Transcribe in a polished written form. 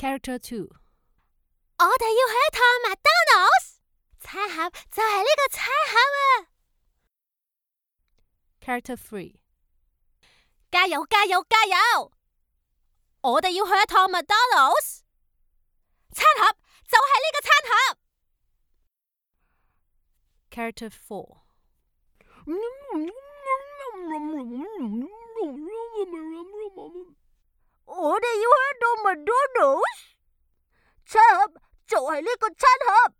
Character 2， 我哋要去一趟麥當勞，餐盒就係呢個餐盒啊！ Character 3， 加油加油加油！我哋要去一趟麥當勞，餐盒就係呢個餐盒。Character 4， 我哋要去一趟麥當勞，餐盒就係呢個餐盒。